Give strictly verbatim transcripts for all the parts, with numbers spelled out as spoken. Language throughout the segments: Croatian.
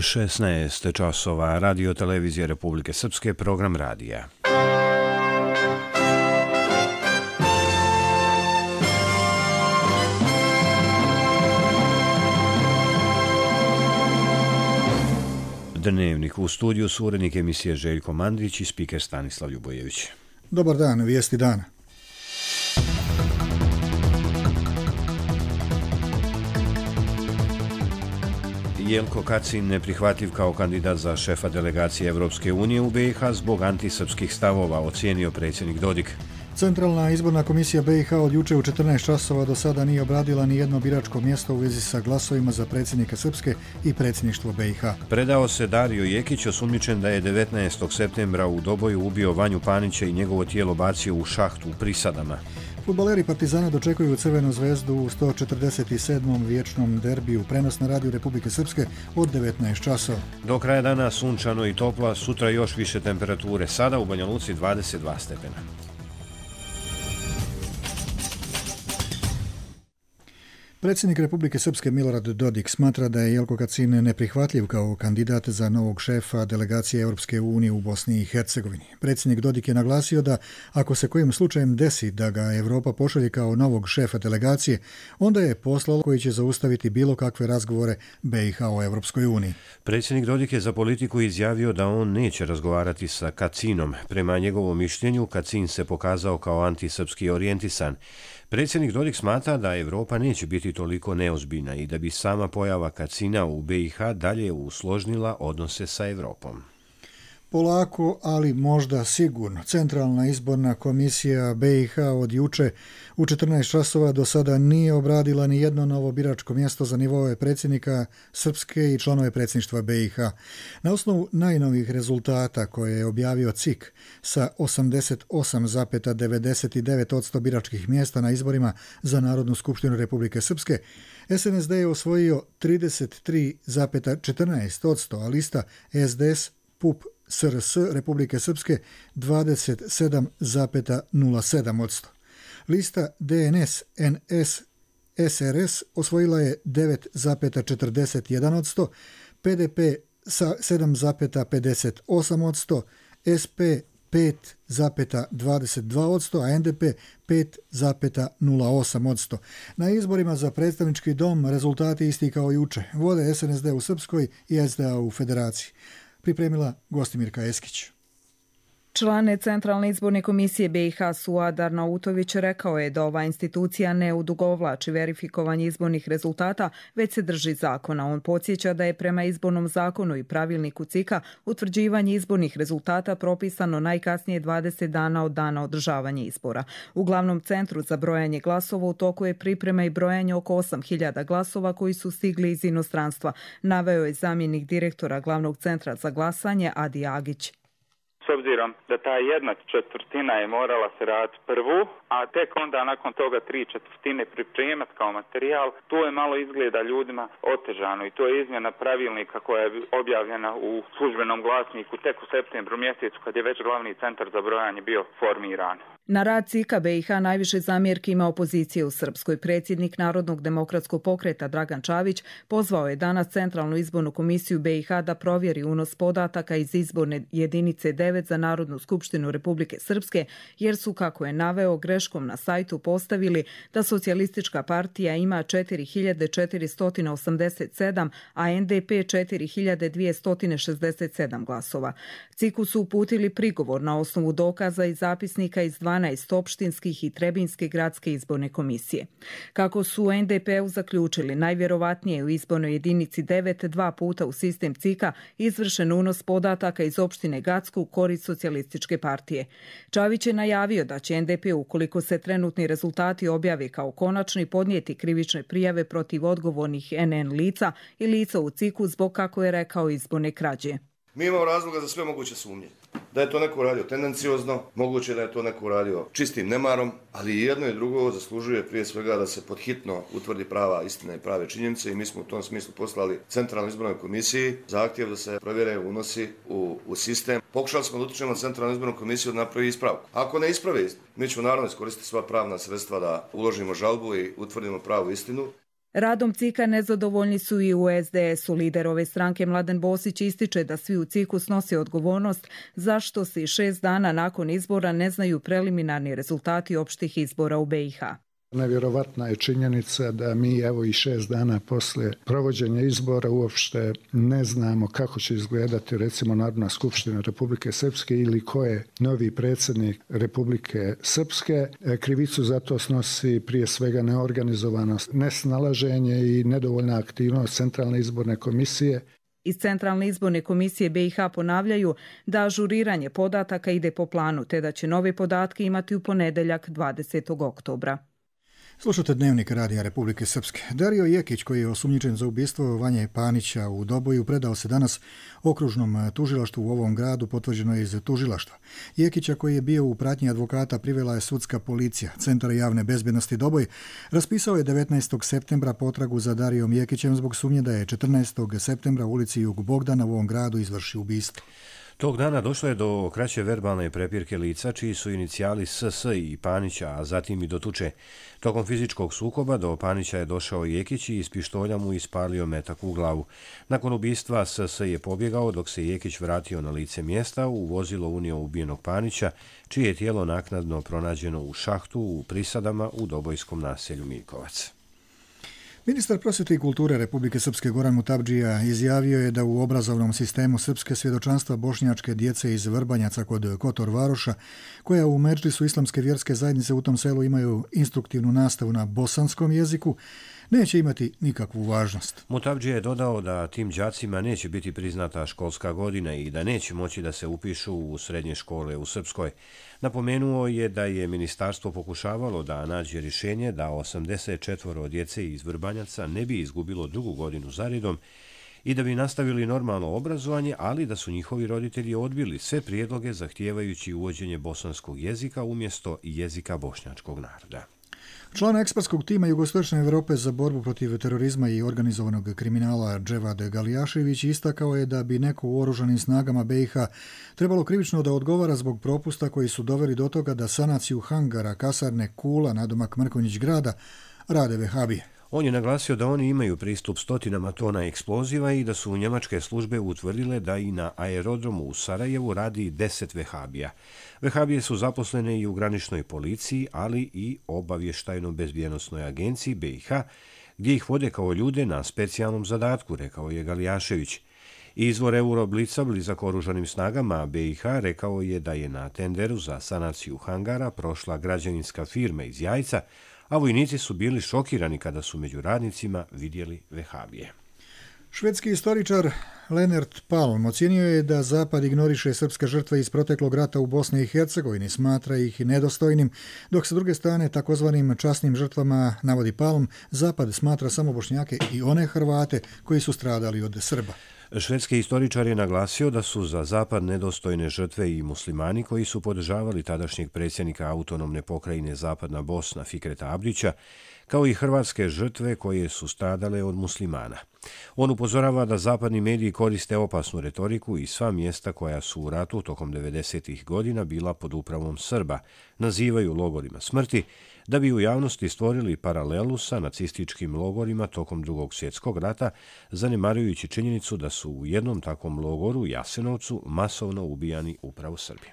šesnaest časova, Radio televizija Republike Srpske, program radija. Dnevnik, u studiju su urednik emisije Željko Mandić i spiker Stanislav Ljubojević. Dobar dan, vijesti dana. Jelko Kacin neprihvatljiv kao kandidat za šefa delegacije Evropske unije u B i H zbog antisrpskih stavova, ocijenio predsjednik Dodik. Centralna izborna komisija B i H od juče u četrnaest časova do sada nije obradila ni jedno biračko mjesto u vezi sa glasovima za predsjednika Srpske i predsjedništvo B i H. Predao se Dario Jekić, osumnjičen da je devetnaestog septembra u Doboju ubio Vanju Panića i njegovo tijelo bacio u šahtu u Prisadama. Fudbaleri Partizana dočekuju Crvenu zvezdu u sto četrdeset sedmom vječnom derbiju, prenos na Radio Republike Srpske od devetnaest časova. Do kraja dana sunčano i topla, sutra još više temperature, sada u Banja Luci dvadeset dva stepena. Predsjednik Republike Srpske Milorad Dodik smatra da je Jelko Kacin neprihvatljiv kao kandidat za novog šefa delegacije Europske unije u Bosni i Hercegovini. Predsjednik Dodik je naglasio da ako se kojim slučajem desi da ga Europa pošalje kao novog šefa delegacije, onda je poslalo koji će zaustaviti bilo kakve razgovore B i H o Europskoj uniji. Predsjednik Dodik je za politiku izjavio da on neće razgovarati sa Kacinom. Prema njegovom mišljenju, Kacin se pokazao kao antisrpski orijentisan. Predsjednik Dodik smatra da Europa neće biti toliko neozbiljna i da bi sama pojava Kacina u B i H dalje usložnila odnose sa Europom. Polako, ali možda sigurno. Centralna izborna komisija B i H od juče u četrnaest časova do sada nije obradila ni jedno novo biračko mjesto za nivoe predsjednika Srpske i članove predsjedništva B i H. Na osnovu najnovih rezultata koje je objavio C I K sa osamdeset osam zarez devedeset devet posto biračkih mjesta na izborima za Narodnu skupštinu Republike Srpske, S N S D je osvojio trideset tri zarez četrnaest posto, a lista S D S, P U P, S R S Republike Srpske dvadeset sedam zarez nula sedam posto. Lista D N S N S S R S osvojila je devet zarez četrdeset jedan posto, P D P sedam zarez pedeset osam posto, S P pet zarez dvadeset dva posto, a N D P pet zarez nula osam posto. Na izborima za predstavnički dom rezultati isti kao juče. Vode S N S D u Srpskoj i S D A u Federaciji. Pripremila Gostimirka Eskić. Član Centralne izborne komisije B i H Suad Arnautović rekao je da ova institucija ne odugovlači verifikovanje izbornih rezultata, već se drži zakona. On podsjeća da je prema izbornom zakonu i pravilniku C I K-a utvrđivanje izbornih rezultata propisano najkasnije dvadeset dana od dana održavanja izbora. U glavnom centru za brojanje glasova u toku je priprema i brojanje oko osam hiljada glasova koji su stigli iz inostranstva, naveo je zamjenik direktora glavnog centra za glasanje Adi Agić. S obzirom da ta jedna četvrtina je morala se raditi prvu, a tek onda nakon toga tri četvrtine pripremati kao materijal, tu je malo izgleda ljudima otežano i to je izmjena pravilnika koja je objavljena u službenom glasniku tek u septembru mjesecu kad je već glavni centar za brojanje bio formiran. Na rad C I K-a B i H najviše zamjerki ima opozicije u Srpskoj. Predsjednik Narodnog demokratskog pokreta Dragan Čavić pozvao je danas Centralnu izbornu komisiju B i H da provjeri unos podataka iz izborne jedinice devet za Narodnu skupštinu Republike Srpske, jer su, kako je naveo, greškom na sajtu postavili da Socijalistička partija ima četiri hiljade četiristo osamdeset sedam, a N D P četiri hiljade dvjesto šezdeset sedam glasova. C I K-u su uputili prigovor na osnovu dokaza i zapisnika iz dvanaest opštinskih i Trebinjske gradske izborne komisije. Kako su u N D P-u zaključili, najvjerovatnije u izbornoj jedinici devet dva puta u sistem C I K-a izvršen unos podataka iz opštine Gacko u korist Socijalističke partije. Čavić je najavio da će N D P, ukoliko se trenutni rezultati objave kao konačni, podnijeti krivične prijave protiv odgovornih N N lica i lica u C I K-u zbog, kako je rekao, izborne krađe. Mi imamo razloga za sve moguće sumnje. Da je to neko uradio tendenciozno, moguće da je to neko uradio čistim nemarom, ali jedno i drugo zaslužuje prije svega da se podhitno utvrdi prava istina i prave činjenice i mi smo u tom smislu poslali Centralnoj izbornoj komisiji zahtjev da se provjere unosi u, u sistem. Pokušali smo da utičemo na Centralnu izbornu komisiju da napravi ispravku. Ako ne ispravi, mi ćemo naravno iskoristiti sva pravna sredstva da uložimo žalbu i utvrdimo pravu istinu. Radom C I K-a nezadovoljni su i u S D S-u. Lider ove stranke Mladen Bosić ističe da svi u C I K-u snose odgovornost zašto se šest dana nakon izbora ne znaju preliminarni rezultati opštih izbora u B i H. Nevjerovatna je činjenica da mi evo i šest dana poslije provođenja izbora uopšte ne znamo kako će izgledati recimo Narodna skupština Republike Srpske ili ko je novi predsjednik Republike Srpske. Krivicu za to snosi prije svega neorganizovanost, nesnalaženje i nedovoljna aktivnost Centralne izborne komisije. Iz Centralne izborne komisije B i H ponavljaju da ažuriranje podataka ide po planu, te da će nove podatke imati u ponedeljak dvadesetog oktobra. Slušate Dnevnik Radija Republike Srpske. Dario Jekić, koji je osumnjičen za ubistvo Vanje Panića u Doboju, predao se danas okružnom tužilaštvu u ovom gradu, potvrđeno je iz tužilaštva. Jekića, koji je bio u pratnji advokata, privela je sudska policija. Centar javne bezbjednosti Doboj raspisao je devetnaestog septembra potragu za Darijom Jekićem zbog sumnje da je četrnaestog septembra u ulici Jug Bogdana u ovom gradu izvršio ubistvo. Tog dana došlo je do kraće verbalne prepirke lica, čiji su inicijali S S i Panića, a zatim i do tuče. Tokom fizičkog sukoba do Panića je došao Jekić i iz pištolja mu ispalio metak u glavu. Nakon ubistva S S je pobjegao, dok se Jekić vratio na lice mjesta, u vozilo unio ubijenog Panića, čije je tijelo naknadno pronađeno u šahtu u Prisadama u dobojskom naselju Miljkovac. Ministar prosvjete i kulture Republike Srpske Goran Mutabdžija izjavio je da u obrazovnom sistemu srpske svjedočanstva bošnjačke djece iz Vrbanjaca kod Kotor Varoša, koja u Medžlisu islamske vjerske zajednice u tom selu imaju instruktivnu nastavu na bosanskom jeziku, neće imati nikakvu važnost. Mutabdžija je dodao da tim đacima neće biti priznata školska godina i da neće moći da se upišu u srednje škole u Srpskoj. Napomenuo je da je ministarstvo pokušavalo da nađe rješenje da osamdeset četvoro djece iz Vrbanjaca ne bi izgubilo drugu godinu zaredom i da bi nastavili normalno obrazovanje, ali da su njihovi roditelji odbili sve prijedloge zahtijevajući uvođenje bosanskog jezika umjesto jezika bošnjačkog naroda. Član ekspertskog tima Jugoistočne Evrope za borbu protiv terorizma i organizovanog kriminala Dževad Galijašević istakao je da bi neko u oružanim snagama B i H trebalo krivično da odgovara zbog propusta koji su doveli do toga da sanaciju hangara kasarne Kula nadomak Mrkonjić grada rade vehabije. On je naglasio da oni imaju pristup stotinama tona eksploziva i da su njemačke službe utvrdile da i na aerodromu u Sarajevu radi deset vehabija. Vehabije su zaposlene i u graničnoj policiji, ali i obavještajno-bezbjednosnoj agenciji B i H, gdje ih vode kao ljude na specijalnom zadatku, rekao je Galijašević. Izvor Euroblica blizak oružanim snagama B i H rekao je da je na tenderu za sanaciju hangara prošla građevinska firma iz Jajca, a vojnici su bili šokirani kada su među radnicima vidjeli vehabije. Švedski istoričar Lennart Palm ocijenio je da Zapad ignoriše srpske žrtve iz proteklog rata u Bosni i Hercegovini, smatra ih nedostojnim, dok se druge strane takozvanim časnim žrtvama, navodi Palm, Zapad smatra samo Bošnjake i one Hrvate koji su stradali od Srba. Švedski istoričar je naglasio da su za Zapad nedostojne žrtve i muslimani koji su podržavali tadašnjeg predsjednika autonomne pokrajine Zapadna Bosna Fikreta Abdića, kao i hrvatske žrtve koje su stradale od muslimana. On upozorava da zapadni mediji koriste opasnu retoriku i sva mjesta koja su u ratu tokom devedesetih godina bila pod upravom Srba nazivaju logorima smrti, da bi u javnosti stvorili paralelu sa nacističkim logorima tokom Drugog svjetskog rata, zanemarujući činjenicu da su u jednom takvom logoru, Jasenovcu, masovno ubijani upravo Srbi.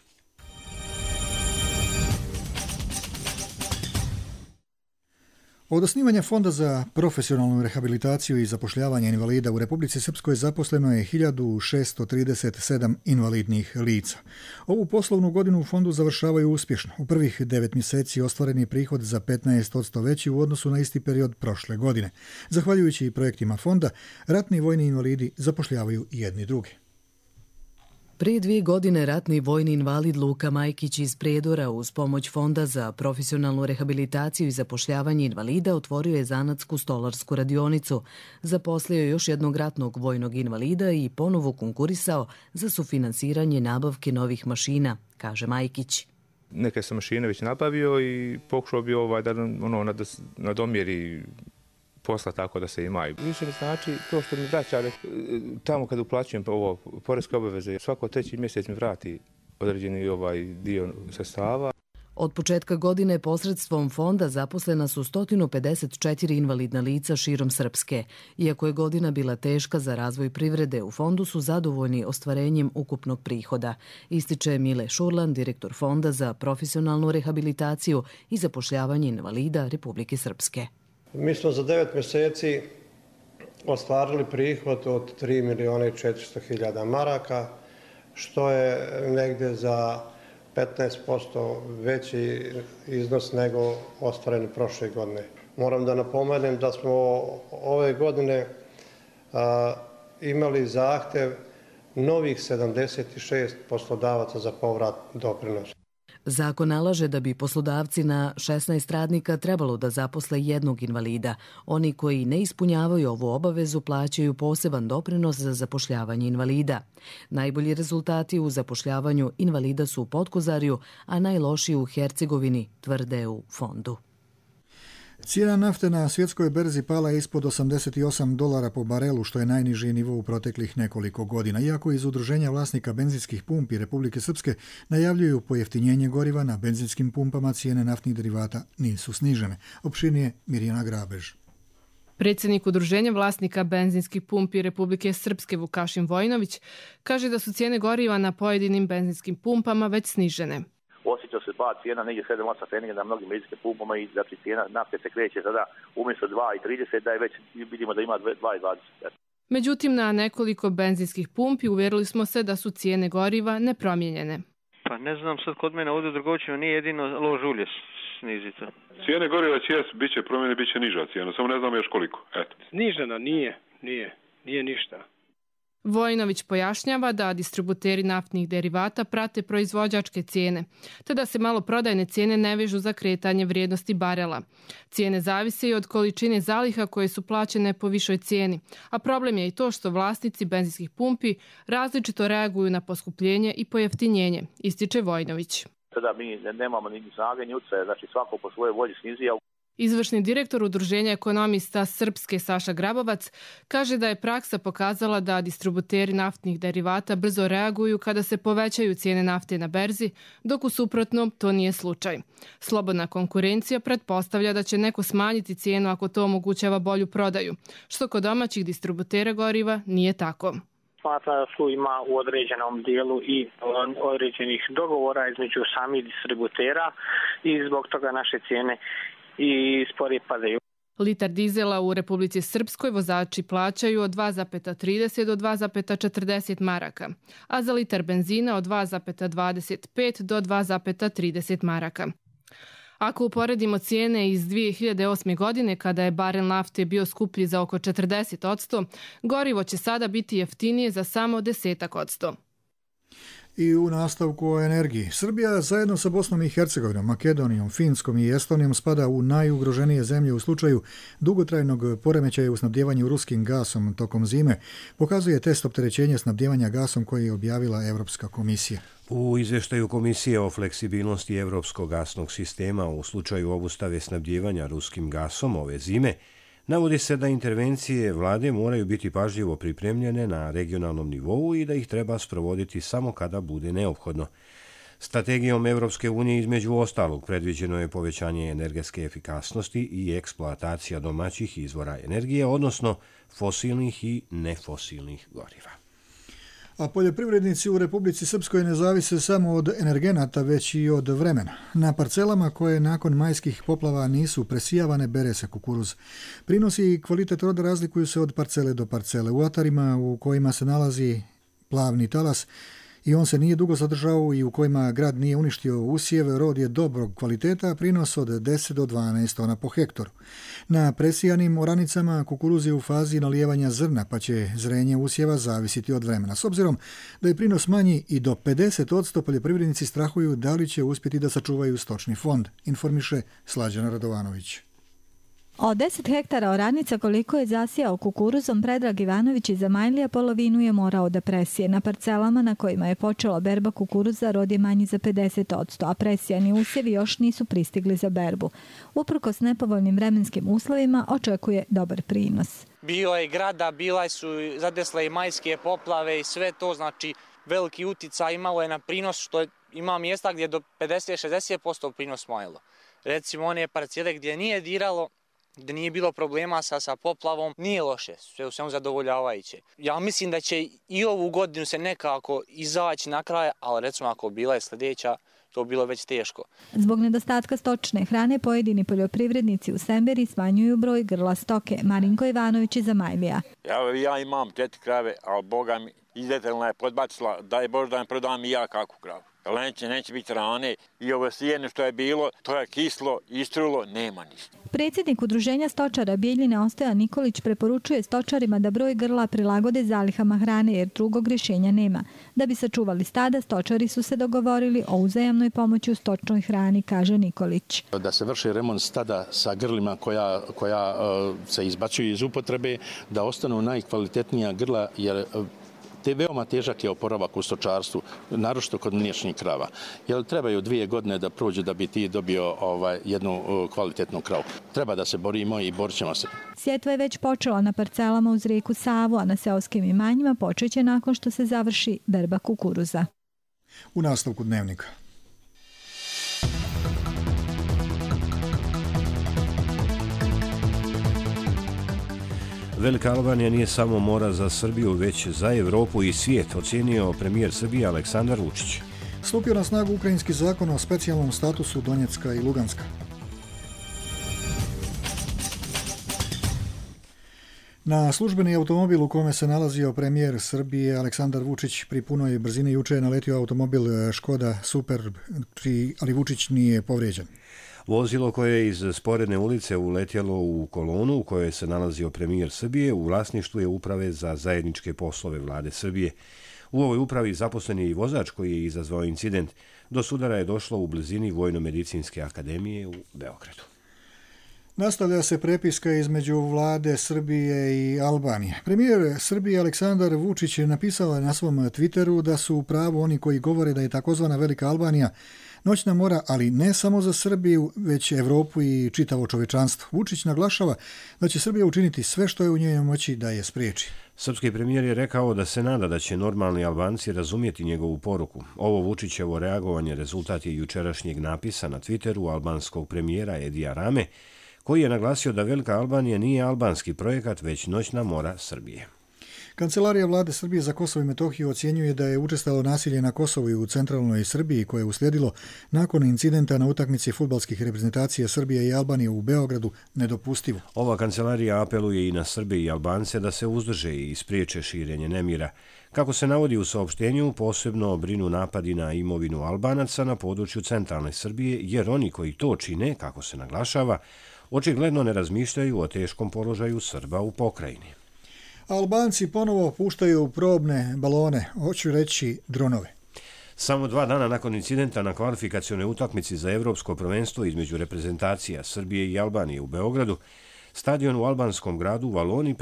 Od osnivanja Fonda za profesionalnu rehabilitaciju i zapošljavanje invalida u Republici Srpskoj zaposleno je hiljadu šesto trideset sedam invalidnih lica. Ovu poslovnu godinu u fondu završavaju uspješno. U prvih devet mjeseci ostvaren je prihod za petnaest posto veći u odnosu na isti period prošle godine. Zahvaljujući projektima fonda, ratni i vojni invalidi zapošljavaju jedni drugi. Prije dvije godine ratni vojni invalid Luka Majkić iz Prijedora uz pomoć Fonda za profesionalnu rehabilitaciju i zapošljavanje invalida otvorio je zanatsku stolarsku radionicu, zaposlio još jednog ratnog vojnog invalida i ponovo konkurisao za sufinansiranje nabavke novih mašina, kaže Majkić. Neke sam mašine već nabavio i pokušao bi ovaj da ono, nadomjeri posla tako da se imaju. Više mi znači to što mi vraća tamo kad uplaćujem ovo poreske obaveze, svako treći mjesec mi vrati određeni ovaj dio sredstava. Od početka godine posredstvom fonda zaposlena su sto pedeset četiri invalidna lica širom Srpske. Iako je godina bila teška za razvoj privrede, u fondu su zadovoljni ostvarenjem ukupnog prihoda, ističe Mile Šurlan, direktor Fonda za profesionalnu rehabilitaciju i zapošljavanje invalida Republike Srpske. Mi smo za devet mjeseci ostvarili prihod od tri miliona i četiristo hiljada maraka, što je negdje za petnaest posto veći iznos nego ostvareni prošle godine. Moram da napomenem da smo ove godine a, imali zahtev novih sedamdeset šest poslodavaca za povrat doprinosa. Zakon nalaže da bi poslodavci na šesnaest radnika trebalo da zaposle jednog invalida. Oni koji ne ispunjavaju ovu obavezu plaćaju poseban doprinos za zapošljavanje invalida. Najbolji rezultati u zapošljavanju invalida su u Potkozarju, a najlošiji u Hercegovini, tvrde u fondu. Cijena nafte na svjetskoj berzi pala je ispod osamdeset osam dolara po barelu, što je najniži nivo u proteklih nekoliko godina. Iako iz Udruženja vlasnika benzinskih pumpi Republike Srpske najavljuju pojeftinjenje goriva, na benzinskim pumpama cijene naftnih derivata nisu snižene. Opširnije Mirjana Grabež. Predsjednik Udruženja vlasnika benzinskih pumpi Republike Srpske Vukašin Vojnović kaže da su cijene goriva na pojedinim benzinskim pumpama već snižene. Osjeća se pad cijena negdje sedam osam pfeniga na mnogim benzinskim pumpama i znači cijena nafte se kreće sada umjesto dva i trideset, da je već vidimo da ima dva i dvadeset. Međutim, na nekoliko benzinskih pumpi uvjerili smo se da su cijene goriva nepromijenjene. Pa ne znam, sad kod mene ovdje u Drgovićima nije jedino lož ulje snižica. Cijene goriva će bit će promjene, bit će niža cijena, samo ne znam još koliko. Eto. Snižena nije, nije, nije ništa. Vojnović pojašnjava da distributeri naftnih derivata prate proizvođačke cijene, te da se maloprodajne cijene ne vežu za kretanje vrijednosti barela. Cijene zavise i od količine zaliha koje su plaćene po višoj cijeni, a problem je i to što vlasnici benzinskih pumpi različito reaguju na poskupljenje i pojeftinjenje, ističe Vojnović. Sada mi nemamo ni snage ni utjecaja, znači svako po svojoj volji snizija. Izvršni direktor Udruženja ekonomista Srpske Saša Grabovac kaže da je praksa pokazala da distributeri naftnih derivata brzo reaguju kada se povećaju cijene nafte na berzi, dok u suprotnom to nije slučaj. Slobodna konkurencija pretpostavlja da će neko smanjiti cijenu ako to omogućava bolju prodaju, što kod domaćih distributera goriva nije tako. Smatra da su ima u određenom dijelu i određenih dogovora između samih distributera i zbog toga naše cijene i sporije padaju. Litar dizela u Republici Srpskoj vozači plaćaju od dva zarez trideset do dva zarez četrdeset maraka, a za litar benzina od dva zarez dvadeset pet do dva zarez trideset maraka. Ako uporedimo cijene iz dvije hiljade osme. godine, kada je barel nafte bio skuplji za oko četrdeset odsto, gorivo će sada biti jeftinije za samo desetak odsto. I u nastavku o energiji. Srbija zajedno sa Bosnom i Hercegovinom, Makedonijom, Finskom i Estonijom spada u najugroženije zemlje u slučaju dugotrajnog poremećaja u snabdjevanju ruskim gasom tokom zime, pokazuje test opterećenja snabdjevanja gasom koji je objavila Evropska komisija. U izvještaju Komisije o fleksibilnosti evropskog gasnog sistema u slučaju obustave snabdjevanja ruskim gasom ove zime, navodi se da intervencije vlade moraju biti pažljivo pripremljene na regionalnom nivou i da ih treba sprovoditi samo kada bude neophodno. Strategijom Evropske unije između ostalog predviđeno je povećanje energetske efikasnosti i eksploatacija domaćih izvora energije, odnosno fosilnih i nefosilnih goriva. A poljoprivrednici u Republici Srpskoj ne zavise samo od energenata, već i od vremena. Na parcelama koje nakon majskih poplava nisu presijavane bere se kukuruz. Prinosi i kvalitet roda razlikuju se od parcele do parcele. U atarima u kojima se nalazi plavni talas i on se nije dugo zadržao i u kojima grad nije uništio usjeve, rod je dobrog kvaliteta, prinos od deset do dvanaest tona po hektoru. Na presijanim oranicama kukuruz je u fazi nalijevanja zrna, pa će zrenje usjeva zavisiti od vremena. S obzirom da je prinos manji i do pedeset odsto, poljoprivrednici strahuju da li će uspjeti da sačuvaju stočni fond, informiše Slađana Radovanović. Od deset hektara oranica koliko je zasijao kukuruzom, Predrag Ivanović iz Zamajlija polovinu je morao da presije. Na parcelama na kojima je počela berba kukuruza rod je manji za pedeset odsto, a presijani usjevi još nisu pristigli za berbu. Uprkos nepovoljnim vremenskim uslovima očekuje dobar prinos. Bio je grada, bila su zadesle i majske poplave i sve to, znači veliki uticaj imalo je na prinos, što je ima mjesta gdje do pedeset do šezdeset posto prinos mojilo. Recimo one parcele gdje nije diralo, gdje nije bilo problema sa, sa poplavom, nije loše, sve u svemu zadovoljavajuće. Ja mislim da će i ovu godinu se nekako izaći na kraj, ali recimo ako bila je sljedeća, to bilo već teško. Zbog nedostatka stočne hrane pojedini poljoprivrednici u Semberi smanjuju broj grla stoke. Marinko Ivanović iz Zamajlija. Ja, ja imam četiri krave, ali Boga mi izdetelna je podbacila, daj Bož da mi prodam i ja kakvu kravu. Neće, neće biti hrane i ovo sijene što je bilo, to je kislo, istrulo, nema ništa. Predsjednik Udruženja stočara Bijeljine Ostoja Nikolić preporučuje stočarima da broj grla prilagode zalihama hrane jer drugog rješenja nema. Da bi sačuvali stada, stočari su se dogovorili o uzajamnoj pomoći u stočnoj hrani, kaže Nikolić. Da se vrši remont stada sa grlima koja, koja uh, se izbacuju iz upotrebe, da ostanu najkvalitetnija grla jer uh, te veoma težak je oporavak u stočarstvu, naročito kod mliječnih krava. Jer trebaju dvije godine da prođu da bi ti dobio ovaj, jednu kvalitetnu kravu. Treba da se borimo i borit ćemo se. Sjetva je već počela na parcelama uz rijeku Savu, a na seoskim imanjima počeće nakon što se završi berba kukuruza. U nastavku dnevnika. Velika Albanija nije samo mora za Srbiju, već za Evropu i svijet, ocijenio premijer Srbije Aleksandar Vučić. Stupio na snagu ukrajinski zakon o specijalnom statusu Donjecka i Luganska. Na službeni automobil u kome se nalazio premijer Srbije Aleksandar Vučić pri punoj brzini juče je naletio automobil Škoda Superb, ali Vučić nije povrijeđen. Vozilo koje je iz sporedne ulice uletjelo u kolonu u kojoj se nalazio premijer Srbije u vlasništvu je uprave za zajedničke poslove vlade Srbije. U ovoj upravi zaposlen je i vozač koji je izazvao incident. Do sudara je došlo u blizini Vojno-medicinske akademije u Beogradu. Nastavlja se prepiska između vlade Srbije i Albanije. Premijer Srbije Aleksandar Vučić je napisao na svom Twitteru da su u pravu oni koji govore da je takozvana Velika Albanija noćna mora, ali ne samo za Srbiju, već Evropu i čitavo čovečanstvo. Vučić naglašava da će Srbija učiniti sve što je u njenoj moći da je spriječi. Srpski premijer je rekao da se nada da će normalni Albanci razumjeti njegovu poruku. Ovo Vučićevo reagovanje rezultat je jučerašnjeg napisa na Twitteru albanskog premijera Edija Rame, koji je naglasio da Velika Albanija nije albanski projekat, već noćna mora Srbije. Kancelarija vlade Srbije za Kosovo i Metohiju ocjenjuje da je učestalo nasilje na Kosovu i u centralnoj Srbiji koje je uslijedilo nakon incidenta na utakmici fudbalskih reprezentacija Srbije i Albanije u Beogradu nedopustivo. Ova kancelarija apeluje i na Srbe i Albance da se uzdrže i ispriječe širenje nemira. Kako se navodi u saopštenju, posebno brinu napadi na imovinu Albanaca na području centralne Srbije, jer oni koji to čine, kako se naglašava, očigledno ne razmišljaju o teškom položaju Srba u pokrajini. Albanci ponovo puštaju probne balone, hoću reći dronove. Samo dva dana nakon incidenta na kvalifikacionoj utakmici za evropsko prvenstvo između reprezentacija Srbije i Albanije u Beogradu, stadion u albanskom gradu Valoni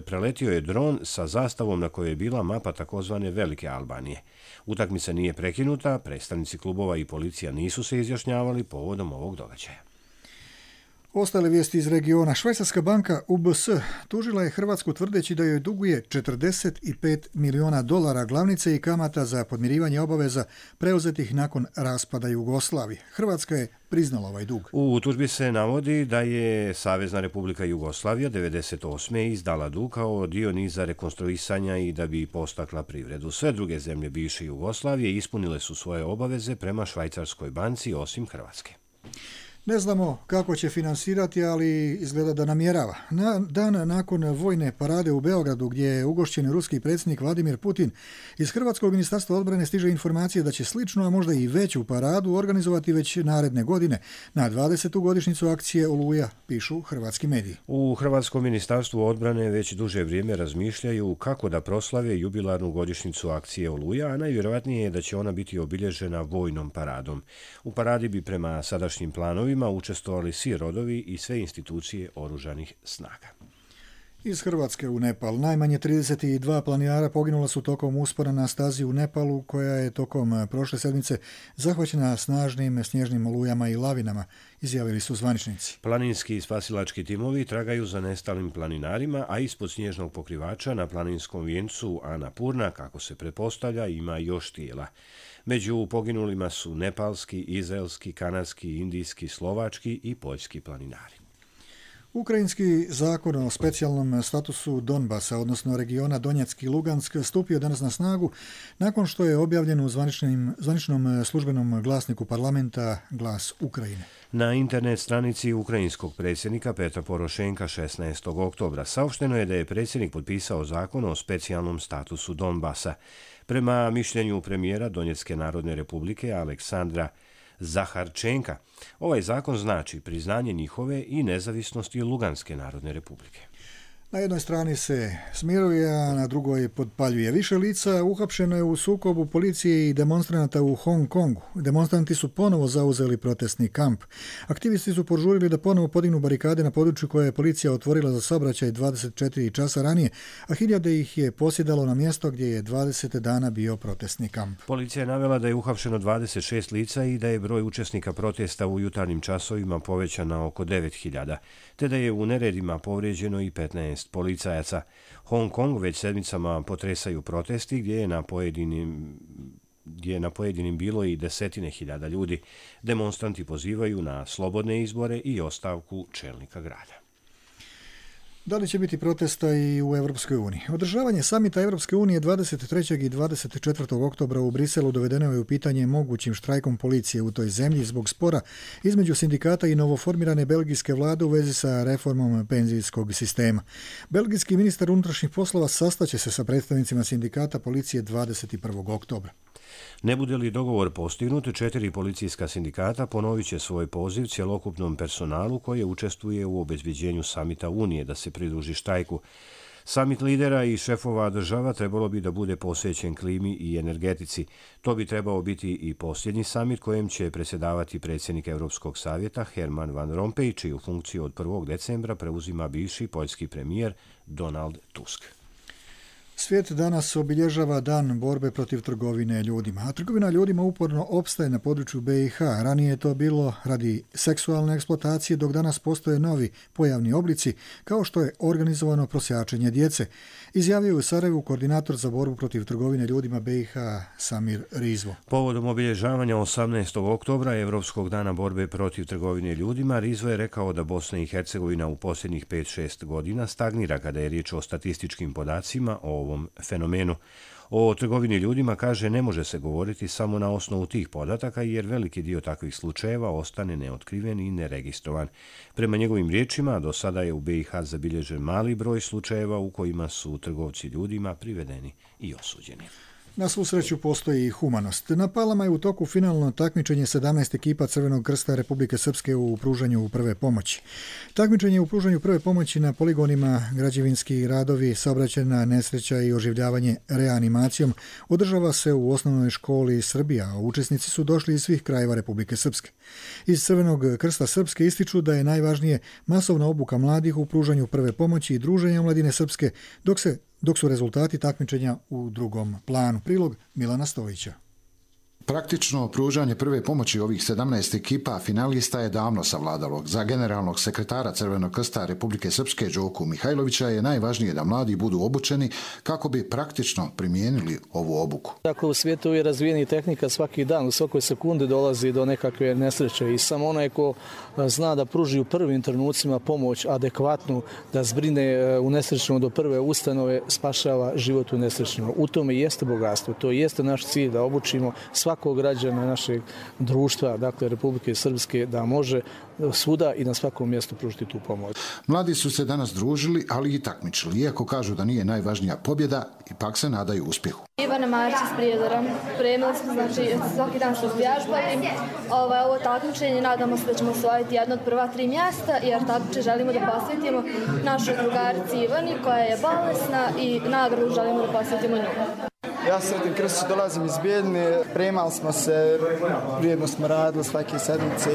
preletio je dron sa zastavom na kojoj je bila mapa takozvane Velike Albanije. Utakmica nije prekinuta, predstavnici klubova i policija nisu se izjašnjavali povodom ovog događaja. Ostale vijesti iz regiona. Švajcarska banka U B S tužila je Hrvatsku tvrdeći da joj duguje četrdeset pet miliona dolara glavnice i kamata za podmirivanje obaveza preuzetih nakon raspada Jugoslavije. Hrvatska je priznala ovaj dug. U tužbi se navodi da je Savezna Republika Jugoslavija devedeset osme izdala dug kao dio niza rekonstruisanja i da bi postakla privredu. Sve druge zemlje bivše Jugoslavije ispunile su svoje obaveze prema Švajcarskoj banci osim Hrvatske. Ne znamo kako će finansirati, ali izgleda da namjerava. Na dan nakon vojne parade u Beogradu, gdje je ugošćen ruski predsjednik Vladimir Putin, iz Hrvatskog ministarstva odbrane stiže informacije da će slično, a možda i veću paradu organizovati već naredne godine na dvadesetu godišnjicu akcije Oluja, pišu hrvatski mediji. U Hrvatskom ministarstvu odbrane već duže vrijeme razmišljaju kako da proslave jubilarnu godišnjicu akcije Oluja, a najvjerojatnije je da će ona biti obilježena vojnom paradom. U paradi bi prema sadašnjim planovima učestvovali svi rodovi i sve institucije oružanih snaga. Iz Hrvatske u Nepal. Najmanje trideset dva planinara poginula su tokom uspona na stazi u Nepalu, koja je tokom prošle sedmice zahvaćena snažnim snježnim olujama i lavinama, izjavili su zvaničnici. Planinski i spasilački timovi tragaju za nestalim planinarima, a ispod snježnog pokrivača na planinskom vijencu Annapurna, kako se pretpostavlja, ima još tijela. Među poginulima su nepalski, izraelski, kanadski, indijski, slovački i poljski planinari. Ukrajinski zakon o specijalnom statusu Donbasa, odnosno regiona Donjeck i Lugansk, stupio danas na snagu nakon što je objavljen u zvaničnom službenom glasniku parlamenta Glas Ukrajine. Na internet stranici ukrajinskog predsjednika Petra Porošenka šesnaestog oktobra saopšteno je da je predsjednik potpisao zakon o specijalnom statusu Donbasa. Prema mišljenju premijera Donjecké narodne republike Aleksandra Zaharčenka, ovaj zakon znači priznanje njihove i nezavisnosti Luganske narodne republike. Na jednoj strani se smiruje, a na drugoj podpaljuje. Više lica uhapšeno je u sukobu policije i demonstranata u Hong Kongu. Demonstranti su ponovo zauzeli protestni kamp. Aktivisti su požurili da ponovo podignu barikade na području koje je policija otvorila za saobraćaj dvadeset četiri časa ranije, a hiljade ih je posjedalo na mjesto gdje je dvadeset dana bio protestni kamp. Policija je navela da je uhapšeno dvadeset šest lica i da je broj učesnika protesta u jutarnjim časovima povećan na oko devet hiljada, te da je u neredima povrijeđeno i petnaest policajaca. Hong Kong već sedmicama potresaju protesti gdje je na pojedinim gdje je na pojedinim bilo i desetine hiljada ljudi. Demonstranti pozivaju na slobodne izbore i ostavku čelnika grada. Da li će biti protesta i u Europskoj uniji? Održavanje samita Europske unije dvadeset trećeg i dvadeset četvrtog oktobra u Briselu dovedeno je u pitanje mogućim štrajkom policije u toj zemlji zbog spora između sindikata i novoformirane belgijske vlade u vezi sa reformom penzijskog sistema. Belgijski ministar unutrašnjih poslova sastaće se sa predstavnicima sindikata policije dvadeset prvog oktobra. Ne bude li dogovor postignut, četiri policijska sindikata ponovit će svoj poziv cjelokupnom personalu koji učestvuje u obezbeđenju samita Unije da se pridruži štrajku. Samit lidera i šefova država trebalo bi da bude posvećen klimi i energetici. To bi trebao biti i posljednji samit kojem će predsjedavati predsjednik Europskog savjeta Herman Van Rompuy, čiju funkciju od prvog decembra preuzima bivši poljski premijer Donald Tusk. Svijet danas obilježava dan borbe protiv trgovine ljudima, a trgovina ljudima uporno opstaje na području be i ha. Ranije je to bilo radi seksualne eksploatacije, dok danas postoje novi pojavni oblici, kao što je organizovano prosjačenje djece, izjavio u Sarajevu koordinator za borbu protiv trgovine ljudima be i ha Samir Rizvo. Povodom obilježavanja osamnaestog oktobra, Evropskog dana borbe protiv trgovine ljudima, Rizvo je rekao da Bosna i Hercegovina u posljednjih pet šest godina stagnira kada je riječ o statističkim podacima o ovom fenomenu. O trgovini ljudima, kaže, ne može se govoriti samo na osnovu tih podataka jer veliki dio takvih slučajeva ostane neotkriven i neregistrovan. Prema njegovim riječima, do sada je u be i ha zabilježen mali broj slučajeva u kojima su trgovci ljudima privedeni i osuđeni. Na svu sreću postoji i humanost. Na Palama je u toku finalno takmičenje sedamnaest ekipa Crvenog krsta Republike Srpske u pružanju prve pomoći. Takmičenje u pružanju prve pomoći na poligonima, građevinski radovi, saobraćajna nesreća i oživljavanje reanimacijom održava se u osnovnoj školi Srbija, a učesnici su došli iz svih krajeva Republike Srpske. Iz Crvenog krsta Srpske ističu da je najvažnije masovna obuka mladih u pružanju prve pomoći i druženja mladine Srpske, dok se dok su rezultati takmičenja u drugom planu. Prilog Milana Stojića. Praktično pružanje prve pomoći ovih sedamnaest ekipa finalista je davno savladalo. Za generalnog sekretara Crvenog krsta Republike Srpske Đoku Mihajlovića je najvažnije da mladi budu obučeni kako bi praktično primijenili ovu obuku. Dakle, u svijetu je razvijeni tehnika, svaki dan, u svakoj sekundi dolazi do nekakve nesreće i samo onaj ko zna da pruži u prvim trenucima pomoć adekvatnu, da zbrine u nesrećnom do prve ustanove, spašava život u nesrećnom. U tome jeste bogatstvo, to jeste naš cilj da obučimo svakog građana našeg društva, dakle Republike Srpske, da može svuda i na svakom mjestu pružiti tu pomoć. Mladi su se danas družili, ali i takmičili. Iako kažu da nije najvažnija pobjeda, ipak se nadaju uspjehu. Ivana Marić iz Prijedora. Primili smo, znači, svaki dan smo vježbali. Ovo, ovo takmičenje, nadamo se da ćemo osvojiti jedno od prva tri mjesta, jer takmiče želimo da posvetimo našoj drugarici Ivani, koja je bolesna, i nagradu želimo da posvetimo nju. Ja se Sretin Krstić, dolazim iz Bijeljine, premali smo se, vrijedno smo radili svake sedmice.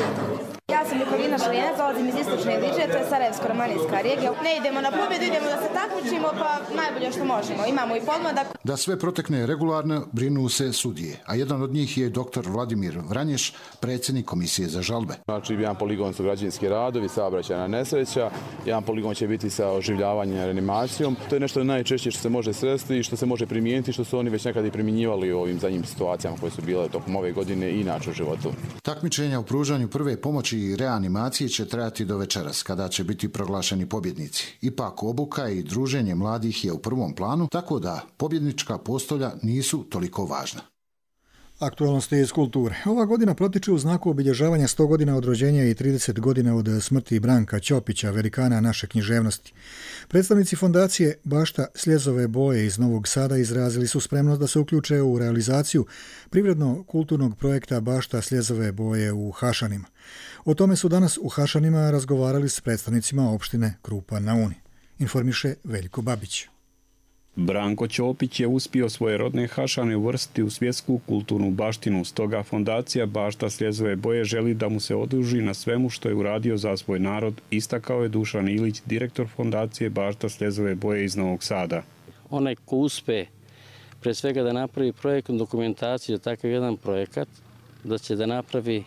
Ja sam Nikolina Šalijanac, dolazim iz istočne Iliđe, to je Sarajevsko-romanijska regija. Ne idemo na pobjedu, idemo da se takmičimo, pa najbolje što možemo. Imamo i podmladak. Da sve protekne regularno brinu se sudije, a jedan od njih je doktor Vladimir Vranješ, predsjednik komisije za žalbe. Znači, jedan poligon su građevinski radovi, saobraćajna nesreća, jedan poligon će biti sa oživljavanjem i reanimacijom. To je nešto najčešće što se može sresti i što se može primijeniti, što su oni već nekad i primjenjivali u ovim zadnjim situacijama koje su bile tokom ove godine i inače u životu. Takmičenja u pružanju prve pomoći i reanimacije će trajati do večeras, kada će biti proglašeni pobjednici. Ipak obuka i druženje mladih je u prvom planu, tako da pobjednička postolja nisu toliko važna. Aktualnosti iz kulture. Ova godina protiče u znaku obilježavanja sto godina od rođenja i trideset godina od smrti Branka Ćopića, velikana naše književnosti. Predstavnici fondacije Bašta Sljezove boje iz Novog Sada izrazili su spremnost da se uključe u realizaciju privredno-kulturnog projekta Bašta Sljezove boje u Hašanima. O tome su danas u Hašanima razgovarali s predstavnicima opštine Krupa na Uni. Informiše Veljko Babić. Branko Ćopić je uspio svoje rodne Hašane uvrstiti u svjetsku kulturnu baštinu, stoga fondacija Bašta Sljezove boje želi da mu se oduži na svemu što je uradio za svoj narod, istakao je Dušan Ilić, direktor fondacije Bašta Sljezove boje iz Novog Sada. Onaj ko uspe pre svega da napravi projektnu dokumentaciju za takav jedan projekat, da će da napravi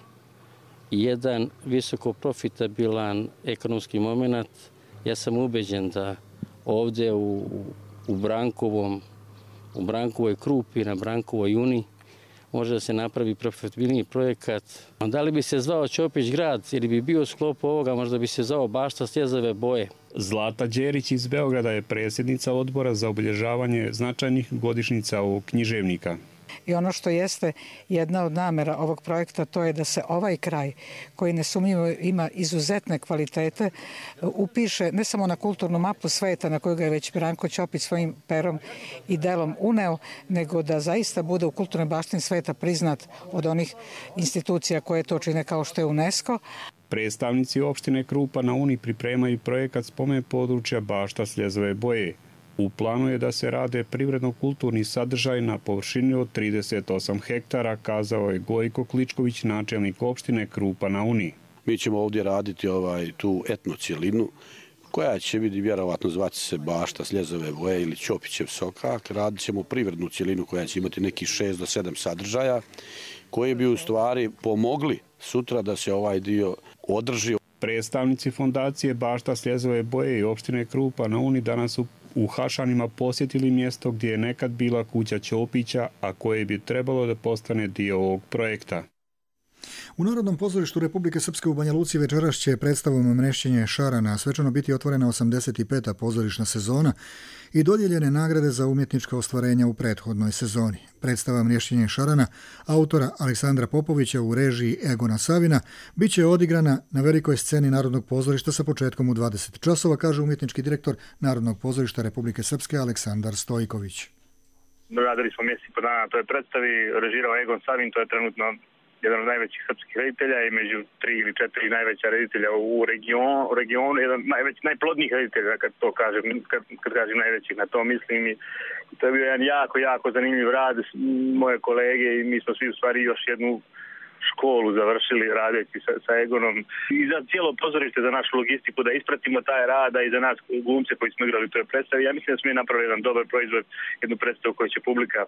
jedan visoko profitabilan ekonomski moment, ja sam ubeđen da ovdje u u Brankovom, u Brankovoj Krupi, na Brankovoj Uni, može da se napravi profitabilniji projekat. Da li bi se zvao Ćopić grad ili bi bio sklop ovoga, možda bi se zvao Bašta Sljezove boje. Zlata Đerić iz Beograda je predsjednica odbora za obilježavanje značajnih godišnjica ovog književnika. I ono što jeste jedna od namera ovog projekta, to je da se ovaj kraj, koji nesumnjivo ima izuzetne kvalitete, upiše ne samo na kulturnu mapu sveta na koju ga je već Branko Ćopić svojim perom i delom uneo, nego da zaista bude u kulturnoj baštini sveta priznat od onih institucija koje to čine kao što je UNESCO. Predstavnici opštine Krupa na Uni pripremaju projekat spomen područja Bašta Sljezove boje. U planu je da se rade privredno-kulturni sadržaj na površini od trideset osam hektara, kazao je Gojko Kličković, načelnik opštine Krupa na Uni. Mi ćemo ovdje raditi ovaj, tu etnocijelinu koja će biti vjerovatno zvati se Bašta Sljezove boje ili Ćopićev sokak. Radit ćemo privrednu cijelinu koja će imati nekih šest do sedam sadržaja koji bi u stvari pomogli sutra da se ovaj dio održi. Predstavnici fondacije Bašta Sljezove boje i opštine Krupa na Uni danas su u Hašanima posjetili mjesto gdje je nekad bila kuća Ćopića, a koje bi trebalo da postane dio ovog projekta. U Narodnom pozorištu Republike Srpske u Banja Luci večeras će predstavom Mrešćenje šarana svečano biti otvorena osamdeset peta pozorišna sezona i dodijeljene nagrade za umjetnička ostvarenja u prethodnoj sezoni. Predstava Mrešćenje šarana autora Aleksandra Popovića u režiji Egona Savina bit će odigrana na velikoj sceni Narodnog pozorišta sa početkom u dvadeset časova, kaže umjetnički direktor Narodnog pozorišta Republike Srpske Aleksandar Stojković. Radili smo mjesec i po dana na toj predstavi, režirao Egon Savin, to je trenutno jedan od najvećih srpskih reditelja i među tri ili četiri najveća reditelja u regionu, u regionu jedan najveći, najplodnijih reditelja, kad to kažem, kad, kad kažem najvećih, na to mislim. I to je bio jedan jako, jako zanimljiv rad, moje kolege i mi smo svi u stvari još jednu školu završili radeći sa, sa Egonom. I za cijelo pozorište, za našu logistiku, da ispratimo taj rad i za nas glumce koji smo igrali u toj predstavi. Ja mislim da smo je napravili jedan dobar proizvod, jednu predstavu koju će publika,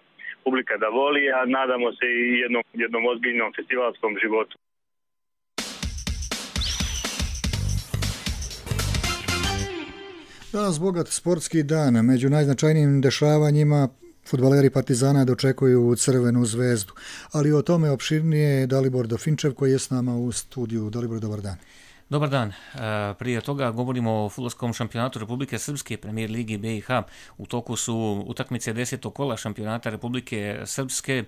publika da voli, a nadamo se i jednom, jednom ozbiljnom festivalskom životu. Danas bogat sportski dan. Među najznačajnijim dešavanjima fudbaleri Partizana dočekuju Crvenu zvezdu, ali o tome opširnije Dalibor Dofinčev koji je s nama u studiju. Dalibor, dobar dan. Dobar dan. Prije toga govorimo o fudbalskom šampionatu Republike Srpske, Premijer Ligi B i H. U toku su utakmice desetog kola šampionata Republike Srpske.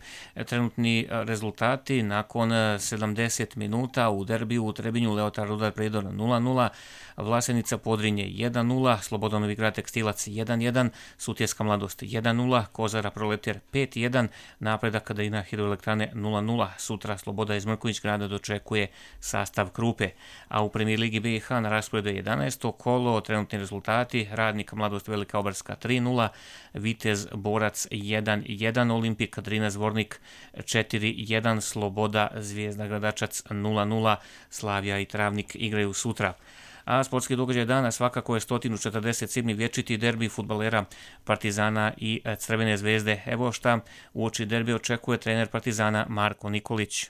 Trenutni rezultati nakon sedamdeset minuta u derbiju u Trebinju Leotar Rudar Prijedor nula nula, Vlasenica Podrinje jedan nula, Slobodan Novi Grad Tekstilac jedan jedan, Sutjeska Mladost jedan nula, Kozara Proletar pet jedan, Napredak Kadina Hidroelektrane nula nula. Sutra Sloboda iz Mrkonjić grada dočekuje sastav Krupe. A u premijer ligi B i H na rasporedu je jedanaesto kolo, trenutni rezultati: Radnik Mladost Velika Obarska tri nula, Vitez Borac jedan jedan, Olimpik Drina Zvornik četiri jedan, Sloboda Zvijezda Gradačac nula nula, Slavija i Travnik igraju sutra. A sportski događaj dana svakako je sto četrdeset sedmi vječiti derbi fudbalera Partizana i Crvene zvezde. Evo šta uoči derbi očekuje trener Partizana Marko Nikolić.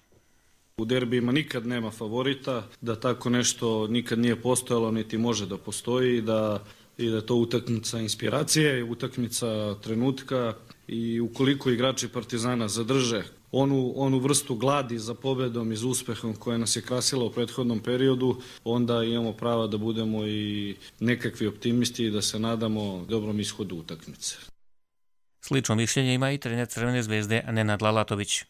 U derbijima nikad nema favorita, da tako nešto nikad nije postojalo niti može da postoji, da i da je to utakmica inspiracije, utakmica trenutka i ukoliko igrači Partizana zadrže onu, onu vrstu gladi za pobedom i za uspehom koja nas je krasila u prethodnom periodu, onda imamo prava da budemo i nekakvi optimisti i da se nadamo dobrom ishodu utakmice. Slično mišljenje ima i trener Crvene zvezde Nenad Lalatović.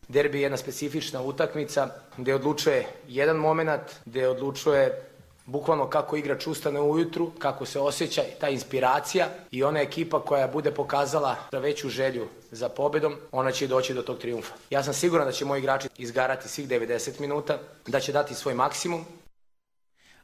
Derbi je jedna specifična utakmica gdje odlučuje jedan moment, gdje odlučuje bukvalno kako igrač ustane ujutru, kako se osjeća ta inspiracija i ona ekipa koja bude pokazala veću želju za pobjedom, ona će doći do tog trijumfa. Ja sam siguran da će moji igrači izgarati svih devedeset minuta, da će dati svoj maksimum.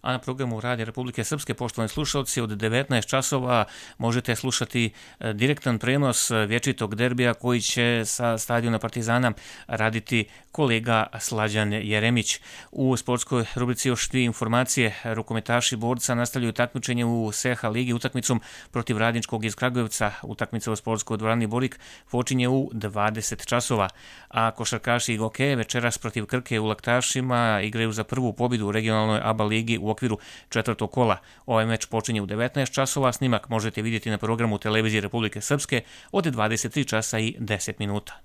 A na programu Radija Republike Srpske, poštovani slušalci, od devetnaest časova možete slušati direktan prenos vječitog derbija koji će sa stadiona Partizana raditi kolega Slađan Jeremić. U sportskoj rubrici još dvije informacije. Rukometaši Borca nastavljaju takmičenje u S H ligi utakmicom protiv Radničkog iz Kragujevca. Utakmica u sportskoj dvorani Borik počinje u dvadeset časova. A košarkaši i Gokeje večeras protiv Krke u Laktašima igraju za prvu pobjedu u regionalnoj A B A ligi u okviru četvrtog kola. Ovaj meč počinje u devetnaest časova, snimak možete vidjeti na programu Televizije Republike Srpske od dvadeset tri časa i deset minuta.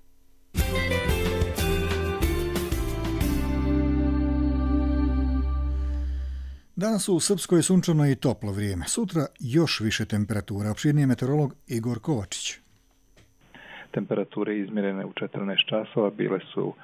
Danas u Srpskoj je sunčano i toplo vrijeme. Sutra još više temperatura. Opširniji je meteorolog Igor Kovačić. Temperature izmjerene u četrnaest časova bile su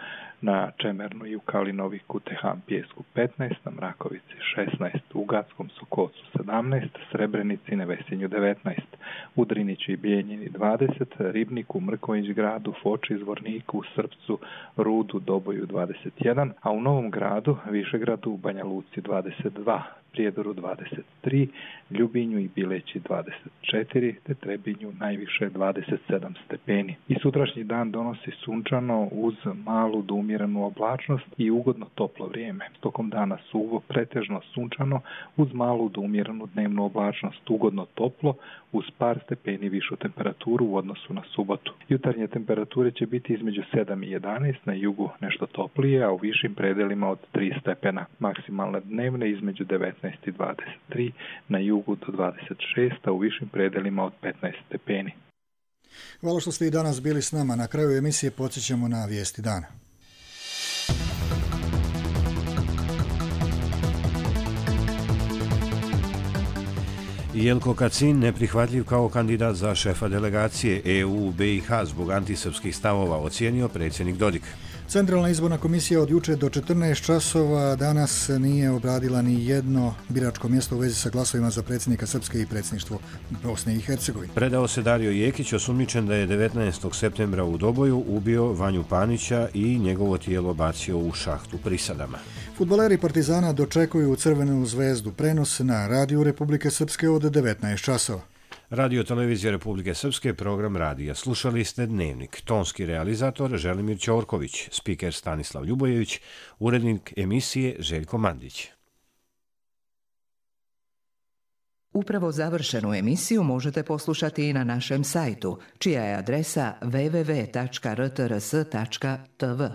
na Čemernu i u Kalinoviku, Teham Pijesku petnaest, na Mrakovici šesnaest, u Gackom Sokolcu sedamnaest, Srebrenici, Nevesinju devetnaest, u Drinići i Bijeljini dvadeset, Ribniku, Mrkonjić gradu, Foči, Zvorniku, Srpcu, Rudu, Doboju dvadeset jedan, a u Novom gradu, Višegradu, u Banja Luci dvadeset dva, Prijedoru dvadeset tri, Ljubinju i Bileći dvadeset četiri, te Trebinju najviše dvadeset sedam stepeni. I sutrašnji dan donosi sunčano uz malu do umjerenu oblačnost i ugodno toplo vrijeme. Tokom dana suvo, pretežno sunčano uz malu do umjerenu dnevnu oblačnost, ugodno toplo uz par stepeni višu temperaturu u odnosu na subotu. Jutarnje temperature će biti između sedam i jedanaest, na jugu nešto toplije, a u višim predelima od tri stepena. Maksimalne dnevne između devetnaest i dvadeset tri, na jugu do dvadeset šest, a u višim predelima od petnaest stepeni. Hvala što ste i danas bili s nama. Na kraju emisije podsjećamo na vijesti dana. Jelko Kacin neprihvatljiv kao kandidat za šefa delegacije E U u B i H zbog antisrpskih stavova, ocijenio predsjednik Dodik. Centralna izborna komisija od juče do četrnaest časova danas nije obradila ni jedno biračko mjesto u vezi sa glasovima za predsjednika Srpske i predsjedništvo Bosne i Hercegovine. Predao se Dario Jekić, osumnjičen da je devetnaestog septembra u Doboju ubio Vanju Panića i njegovo tijelo bacio u šahtu Prisadama. Fudbaleri Partizana dočekuju Crvenu zvezdu, prenos na Radiju Republike Srpske od devetnaest časova. Radio Televizija Republike Srpske, program radija. Slušali ste Dnevnik. Tonski realizator Želimir Ćorković, spiker Stanislav Ljubojević, urednik emisije Željko Mandić. Upravo završenu emisiju možete poslušati i na našem sajtu, čija je adresa w w w tačka r t r s tačka t v.